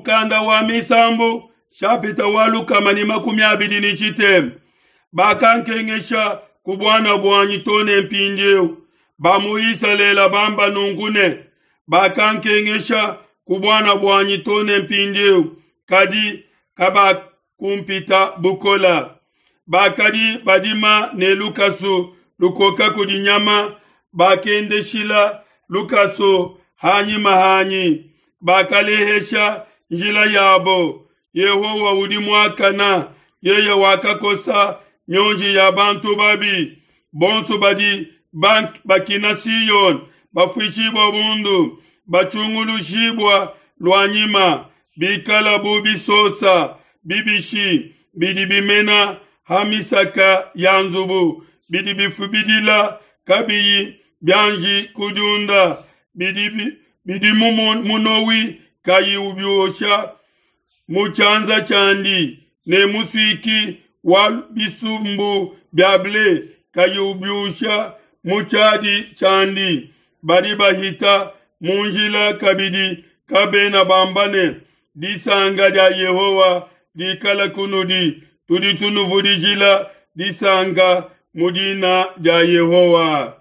Mukanda wa Misambu, shapita wa 120. Bakankengesha ku buana buanyi to ne mpindieu. Ba mu Isalele bamba nunku ne, bakankengesha ku buana buanyi to ne mpindieu, kadi kabakumpita bukola. Bakadi badima ne lukasu lukoka kudi nyama, bakendeshila lukasu hanyima hanyi, bakalehesha njila yabo. Yehowa udi muakana, yeye wakakosa mionji ya bantu babi. Bonso badi bakina Siyone bafuishibua bundu, batshungulushibua luanyima, bikala bu bisosa bibishi bidi bimena ha misaka ya nzubu, bidi bifubidila kabiyi bianji kudiunda, bidi, bidi munowi kayi ubiosha mu tshianza tshiandi, ne musuiki wa bisumbu bia ble kayi ubiusha mu tshiadi tshiandi. Badi bahita mu njila kabidi kabena bamba ne, disanka dia Yehowa dikala kunudi, tudi tunuvudijila disanka mu dina dia Yehowa.